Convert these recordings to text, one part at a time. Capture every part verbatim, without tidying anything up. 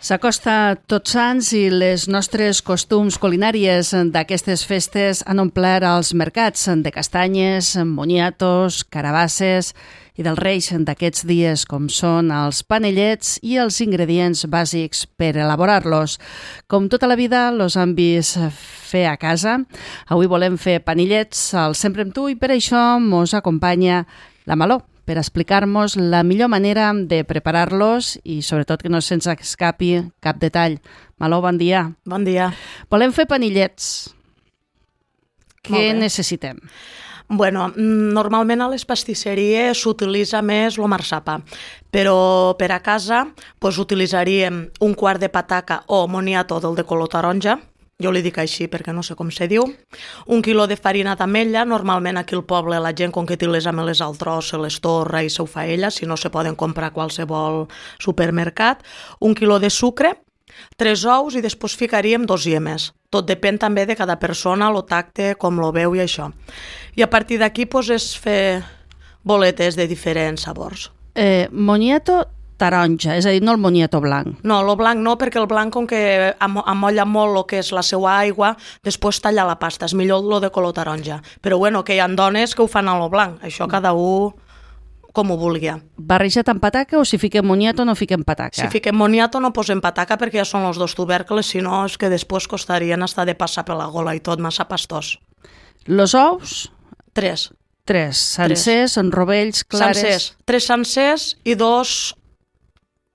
S'acosta Tots Sants i les nostres costums culinàries d'aquestes festes han omplert els mercats de castanyes, moniatos, carabasses i dels reis d'aquests dies, com són els panellets i els ingredients bàsics per elaborar-los. Com tota la vida, els han vist fer a casa. Avui volem fer panellets al Sempre amb tu i per això mos acompanya la Maló, per explicar-nos la millor manera de preparar-los i sobretot que no se'ns escapi cap detall. Maló, bon dia. Bon dia. Volem fer panellets. Què necessitem? Bueno, normalment a les pastisseries s'utilitza més el marsapa, però per a casa pues, utilitzaríem un quart de pataca o moniato del de color taronja, jo li dic així perquè no sé com se diu, un quilo de farina d'ametlla, normalment aquí al poble la gent com que té les ametlles al tros se les torra i se ho fa ella, si no se poden comprar a qualsevol supermercat, un quilo de sucre, tres ous i després ficaríem dos iemes. Tot depèn també de cada persona, el tacte, com lo veu i això. I a partir d'aquí pues, és fer boletes de diferents sabors. Eh, moniato taronja, és a dir, no el moniato blanc. No, el blanc no, perquè el blanc, com que amolla molt el que és la seva aigua, després talla la pasta, és millor el de color taronja. Però bueno, que hi ha dones que ho fan a lo blanc, això cada un com ho vulgui. Barrejat amb pataca o si fiquem moniato no fiquem pataca? Si fiquem moniato no posem pataca perquè ja són els dos tubercles, si no és que després costarien estar de passar per la gola i tot, massa pastós. Los ous? Tres. Tres, sencers, en rovells, clares... Sencers, tres sencers i dos...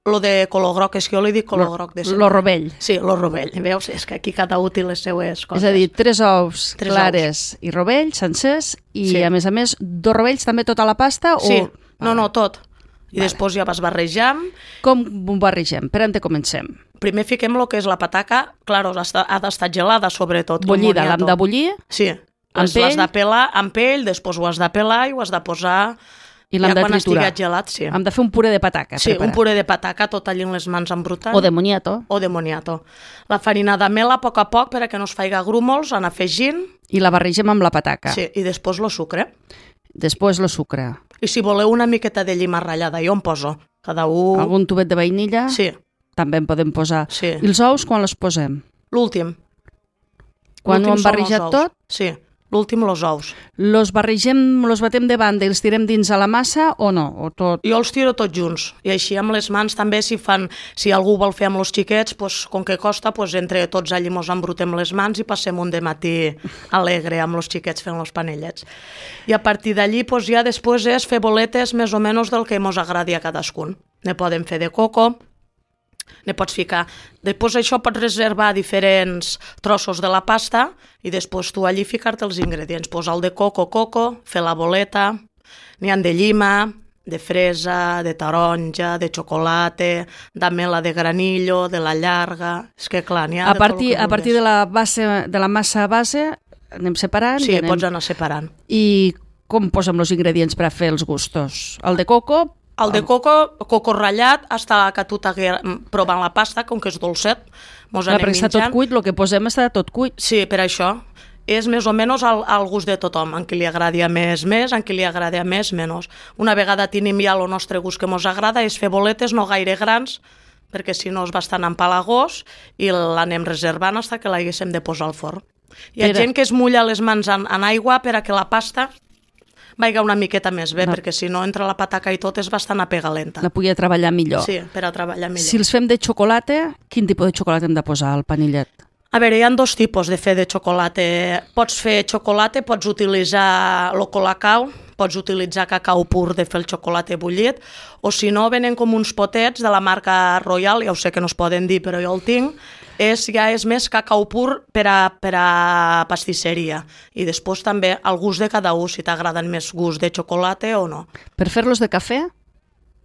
Lo de color groc, és que jo li dic color lo, groc. De lo rovell. Sí, lo rovell. Veus? És que aquí cada útil les seues coses. És a dir, tres ous tres clares ous. I rovells, sencers, i sí. a més a més, dos rovells també tota la pasta? Sí, o... no, no, tot. I vale. Després ja vas barrejant. Com ho barregem? Per on te comencem? Primer fiquem el que és la pataca, clar, ha d'estar gelada sobretot. Bullida, l'hem de bullir? Sí, l'has de pelar amb pell, després ho has de pelar i ho has de posar... I l'hem ja de triturar. Gelat, sí. Hem de fer un puré de pataca. Sí, preparat. un puré de pataca, tot allí en les mans embrutant. O de moniato. O de moniato. La farina d'amela, a poc a poc, perquè no es faiga grúmols, anar afegint. I la barregem amb la pataca. Sí, i després el sucre. Després el sucre. I si voleu una miqueta de llima ratllada, jo en poso. Cada un... Algun tubet de vainilla? Sí. També en podem posar. Sí. I els ous, quan els posem? L'últim. Quan ho hem barrejat tot? Sí. L'últim, els ous. Los barregem, los batem de banda i els tirem dins a la massa o no? O tot? Jo els tiro tots junts. I així amb les mans també, si fan, si algú vol fer amb els xiquets, pues, com que costa, pues, entre tots allí mos embrutem les mans i passem un dematí alegre amb els xiquets fent els panellets. I a partir d'allí pues, ja després és fer boletes més o menys del que mos agradi a cadascun. Ne podem fer de coco, ne pots ficar... Després això pots reservar diferents trossos de la pasta i després tu allí ficar-te els ingredients. Posar el de coco, coco, fer la boleta, n'hi ha de llima, de fresa, de taronja, de xocolata, d'amela de granillo, de la llarga... És que clar, n'hi ha a de partir, tot el que a partir de la, base, de la massa base anem separant? Sí, i anem... pots anar separant. I com posem els ingredients per a fer els gustos? El de coco... El de coco, coco ratllat, hasta que tu t'hagués provant la pasta, com que és dolcet, mos anem perquè està tot cuit, el que posem està tot cuit. Sí, per això. És més o menys al, al gust de tothom, en qui li agradi més, més, en qui li agradi més, menys. Una vegada tenim ja el nostre gust que mos agrada, és fer boletes no gaire grans, perquè si no és bastant empalagós, i l'anem reservant fins que l'haguéssim de posar al forn. Hi ha Era... gent que es mulla les mans en, en aigua per a que la pasta vaiga una miqueta més bé, no. Perquè si no entre la pataca i tot és bastant apegalenta. La pugui treballar millor. Sí, per a treballar millor. Si els fem de xocolata, quin tipus de xocolata hem de posar al panellet? A veure, hi ha dos tipus de fer de xocolata. Pots fer xocolata, pots utilitzar el colacao, pots utilitzar cacau pur de fer el xocolata bullit, o si no, venen com uns potets de la marca Royal, ja ho sé que no es poden dir, però jo el tinc, és, ja és més cacau pur per a, per a pastisseria. I després també el gust de cada un, si t'agraden més gust de xocolata o no. Per fer-los de cafè?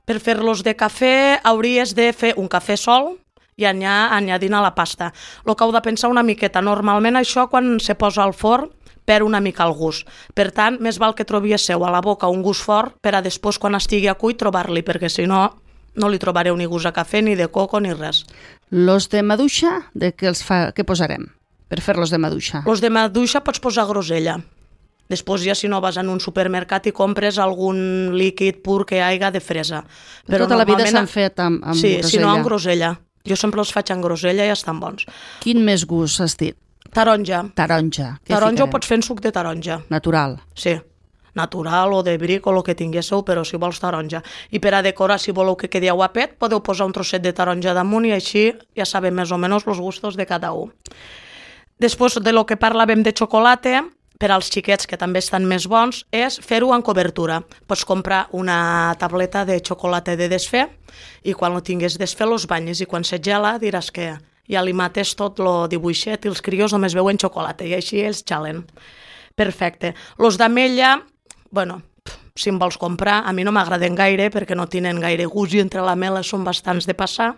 Per fer-los de cafè hauries de fer un cafè sol i anyar, anyadint a la pasta. El que heu de pensar una miqueta, normalment això quan se posa al forn perd una mica el gust. Per tant, més val que trobiéssiu a la boca un gust fort per a després, quan estigui a cuit, trobar-li, perquè si no, no li trobareu ni gust a cafè, ni de coco, ni res. Los de maduixa, de què els fa, què posarem per fer-los de maduixa? Los de maduixa pots posar grosella. Després ja si no vas en un supermercat i compres algun líquid pur que hi haiga de fresa. Però tota la vida s'han fet amb, amb sí, grosella. Sí, si no amb grosella. Jo sempre els faig en grosella i estan bons. Quin més gust has dit? Taronja. Taronja. Què Taronja ficarem? ho pots fer en suc de taronja. Natural. Sí, natural o de bric o el que tinguéssiu, però si vols taronja. I per a decorar, si voleu que quedi guapet, podeu posar un trosset de taronja damunt i així ja sabem més o menys els gustos de cada un. Després de lo que parlàvem de xocolata, per als xiquets que també estan més bons, és fer-ho en cobertura. Pots comprar una tableta de xocolata de desfer i quan ho tingues desfer los banyes i quan se gela diràs que ja li mates tot el dibuixet i els crios només veuen xocolata i així ells xalen. Perfecte. Los d'ametlla, bueno, si em vols comprar, a mi no m'agraden gaire perquè no tenen gaire gust i entre la mela són bastants de passar,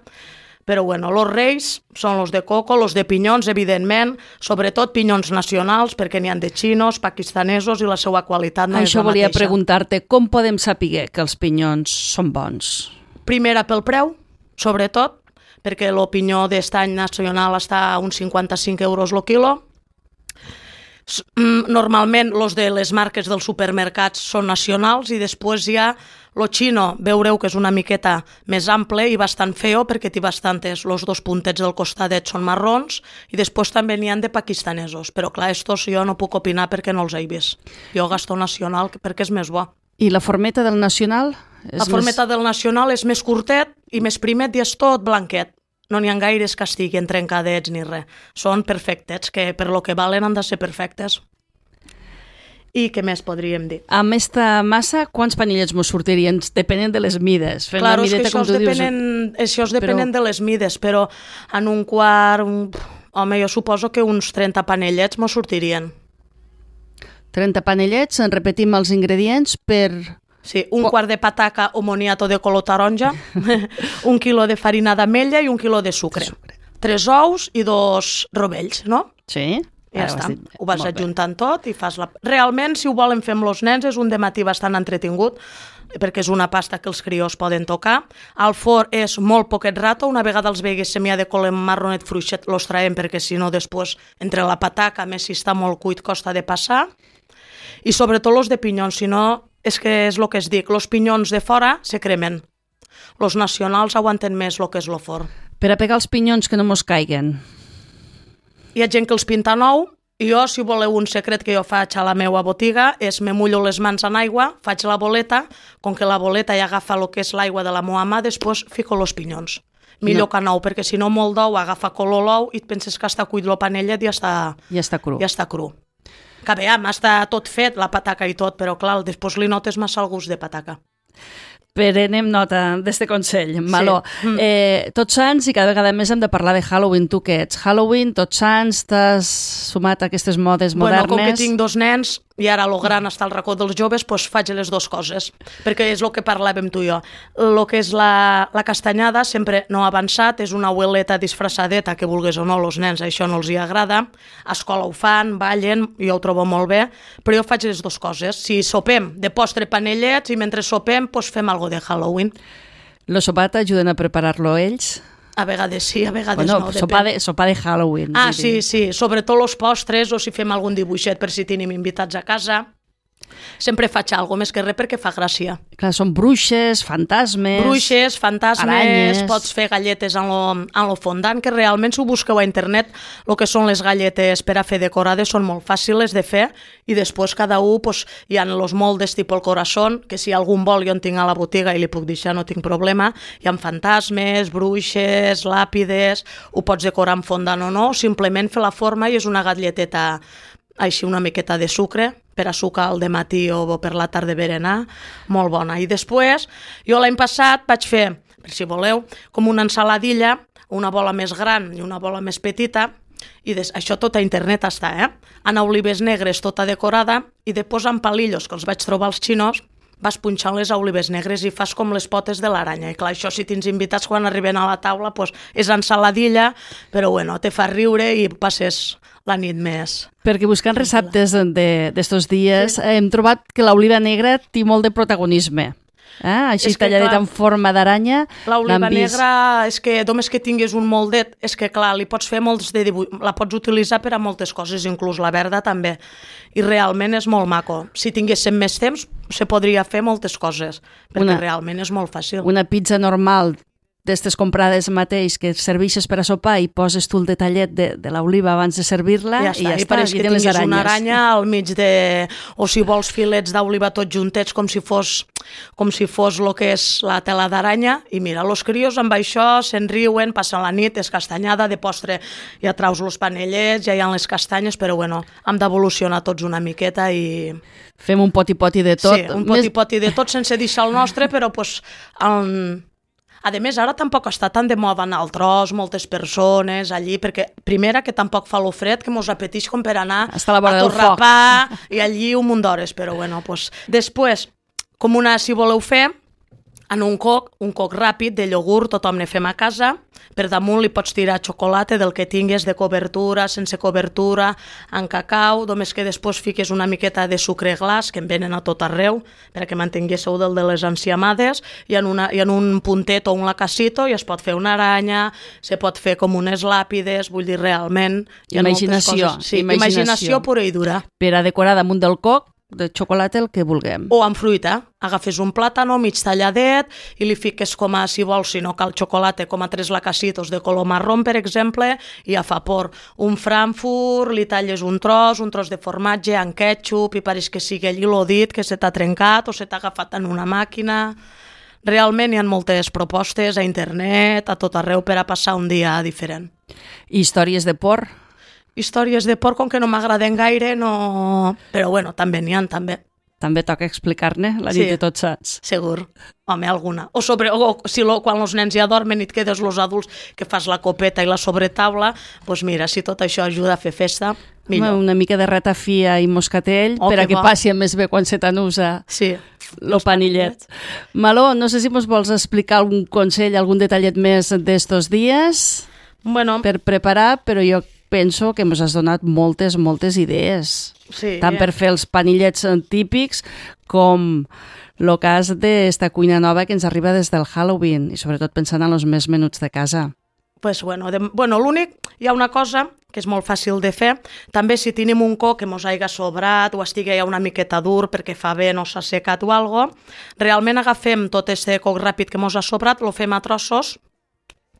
però bueno, los reis són los de coco, los de pinyons, evidentment, sobretot pinyons nacionals, perquè n'hi ha de xinos, pakistanesos i la seva qualitat no Això és la volia mateixa. preguntar-te, com podem saber que els pinyons són bons? Primera pel preu, sobretot, perquè el pinyó d'estany nacional està a uns cinquanta-cinc euros el quilo. Normalment els de les marques dels supermercats són nacionals i després hi ha el xino, veureu que és una miqueta més ample i bastant feo perquè té bastantes, els dos puntets del costadet són marrons i després també n'hi ha de pakistanesos, però clar, estos jo no puc opinar perquè no els he vist. Jo gasto nacional perquè és més bo. I la formeta del nacional? És La formeta més... del nacional és més curtet i més primet i és tot blanquet. No n'hi ha gaires que estiguin trencadets ni res. Són perfectes, que per lo que valen han de ser perfectes. I què més podríem dir? Amb esta massa, quants panellets mos sortirien? Depenent de les mides. Fent Claro, la és que mideta, això com es tu dius. depenen, això es depenen Però- de les mides, però en un quart, un... home, jo suposo que uns trenta panellets mos sortirien. trenta panellets, en repetim els ingredients per... Sí, un quart de pataca o moniato de color taronja, un quilo de farina d'ametlla i un quilo de sucre. sucre. Tres ous i dos rovells, no? Sí? Ja Ara ho has està, dit. ho vas Molt bé. adjuntant tot i fas la... Realment, si ho volen fer amb els nens, és un dematí bastant entretingut, perquè és una pasta que els crios poden tocar. Al forn és molt poquet rato, una vegada els vegues semia de color marronet fruixet, los traiem perquè si no després, entre la pataca, més si està molt cuit, costa de passar. I sobretot els de pinyons, si no, és que és el que es dic, els pinyons de fora se cremen. Els nacionals aguanten més el que és el forn. Per a pegar els pinyons que no mos caiguen. Hi ha gent que els pinta nou, i jo, si voleu un secret que jo faig a la meva botiga, és me mullo les mans en aigua, faig la boleta, com que la boleta ja agafa el que és l'aigua de la meva mà, després fico els pinyons. Millor No. que nou, perquè si no molt d'ou agafa color l'ou i et penses que està cuit el panellet i ja està, Ja està cru. ja està cru. Que bé, està tot fet, la pataca i tot, però clar, després li notes massa el gust de pataca. Prenem nota d'este consell, Maló. Mm. Eh, tots Sants, i cada vegada més hem de parlar de Halloween. Tu què ets? Halloween, Tots Sants, t'has sumat a aquestes modes modernes? Bueno, com que tinc dos nens i ara el gran està al racó dels joves, doncs faig les dues coses, perquè és el que parlàvem tu i jo. El que és la, la castanyada sempre no ha avançat, és una abueleta disfressadeta, que vulguis o no, els nens això no els hi agrada, a escola ho fan, ballen, jo ho trobo molt bé, però jo faig les dues coses. Si sopem de postre panellets i mentre sopem doncs fem alguna de Halloween. Lo sopat ajuden a preparar-lo ells? A vegades sí, a vegades Bueno, no. sopar depèn. de, sopar de Halloween. Ah, vull dir. sí, sí, sobretot els postres o si fem algun dibuixet per si tenim invitats a casa. Sempre faig alguna més que res perquè fa gràcia. Clar, són bruixes, fantasmes... Bruixes, fantasmes, aranyes. pots fer galletes en lo, en lo fondant, que realment si ho busqueu a internet, el que són les galletes per a fer decorades són molt fàcils de fer i després cada un pues, hi ha els moldes tipus el corazón, que si algun vol jo en tinc a la botiga i li puc deixar, no tinc problema. Hi ha fantasmes, bruixes, làpides, ho pots decorar amb fondant o no, simplement fer la forma i és una galleteta així una miqueta de sucre per a sucar al dematí o per la tarda berenar, molt bona. I després, jo l'any passat vaig fer, per si voleu, com una ensaladilla, una bola més gran i una bola més petita, i des... això tot a internet està, eh? En olives negres tota decorada i després amb palillos que els vaig trobar als xinos, vas punxant les olives negres i fas com les potes de l'aranya. I clar, això si tens invitats quan arriben a la taula, pues, és ensaladilla, però bueno, te fa riure i passes la nit més. Perquè buscant receptes d'estos dies sí. hem trobat que l'oliva negra té molt de protagonisme. Eh? Així talladet en forma d'aranya. L'oliva negra és que només que tinguis un moldet, és que clar, li pots fer molts de dibuix, la pots utilitzar per a moltes coses, inclús la verda també. I realment és molt maco. Si tinguéssim més temps, se podria fer moltes coses, perquè una, realment és molt fàcil. Una pizza normal d'estes comprades mateix que serveixes per a sopar i poses tu el detallet de, de l'oliva abans de servir-la ja i ja I està, pareix i que tens les tinguis aranyes. una aranya al mig de... O si vols filets d'oliva tots juntets com si fos com si fos el que és la tela d'aranya i mira, los crios amb això se'n riuen, passen la nit, és castanyada, de postre ja traus los panellets, ja hi ha les castanyes, però bueno, hem d'evolucionar tots una miqueta i... Fem un poti-poti de tot. Sí, un poti-poti de tot sense deixar el nostre, però pues, el... a més ara tampoc està tan de moda anar al tros, moltes persones allí, perquè primera que tampoc fa lo fred, que mos apeteix com per anar a, la a Torrapà i allí un munt d'hores, però bueno, pues, després, com una, si voleu fer, en un coc, un coc ràpid de iogurt, tothom ne fem a casa, per damunt li pots tirar xocolata del que tingues de cobertura, sense cobertura, en cacau, només que després fiques una miqueta de sucre glaç, que en venen a tot arreu, perquè mantinguéssiu del de les enciamades, i en, una, i en un puntet o un lacasito i es pot fer una aranya, se pot fer com unes làpides, vull dir, realment... Imaginació. Sí, imaginació. imaginació pura i dura. Per a decorar damunt del coc, de xocolata el que vulguem. O amb fruita. Agafes un plàtano mig talladet i li fiques com a, si vols, si no cal xocolata, com a tres lacacitos de color marrón, per exemple, i a vapor. Un frankfurt, li talles un tros, un tros de formatge, amb ketchup, i pareix que sigui allí l'odit, que se t'ha trencat o se t'ha agafat en una màquina. Realment hi ha moltes propostes a internet, a tot arreu, per a passar un dia diferent. I històries de porc? Històries de porc, com que no m'agraden gaire, no... Però bueno, també n'hi ha, també. També toca explicar-ne la nit sí, de Tots Sants. Segur. Home, alguna. O, sobre, o si lo, quan els nens ja dormen i et quedes los adults que fas la copeta i la sobretaula, doncs mira, si tot això ajuda a fer festa, millor. Una mica de ratafia i moscatell oh, per a que bo. Passi més bé quan se t'anusa sí. el panillet. Maló, no sé si ens vols explicar algun consell, algun detallet més d'estos dies bueno. per preparar, però jo penso que ens has donat moltes, moltes idees. Sí, tant per fer els panillets típics com el cas d'esta cuina nova que ens arriba des del Halloween i sobretot pensant en els més menuts de casa. Pues bueno, de, bueno l'únic, hi ha una cosa que és molt fàcil de fer, també si tenim un coc que mos haiga sobrat o estigui ja una miqueta dur perquè fa bé, no s'ha secat o algo, realment agafem tot este coc ràpid que mos ha sobrat, lo fem a trossos,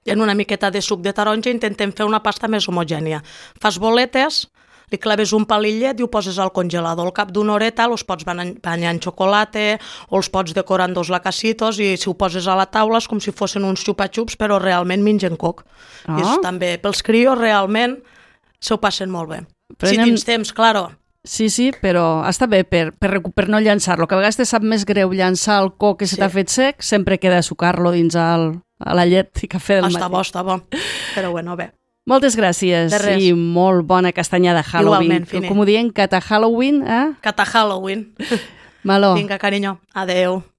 i en una miqueta de suc de taronja intentem fer una pasta més homogènia. Fas boletes, li claves un palillet i ho poses al congelador. Al cap d'una horeta els pots banyar en xocolata o els pots decorar en dos lacacitos i si ho poses a la taula és com si fossin uns xupa-xups, però realment mengen coc. Oh. I és també, pels crios realment s'ho passen molt bé. Prenem... Si tens temps, claro. Sí, sí, però està bé per, per, per no llançar-lo, que a vegades te sap més greu llançar el coc que se sí. t'ha fet sec, sempre queda sucar-lo dins el, a la llet i cafè del matí. Està bo, està bo, però bueno, bé. Moltes gràcies i molt bona castanyada Halloween. Igualment, com ho diem, cata Halloween, eh? Cata Halloween. Maló. Vinga, carinyo, adeu.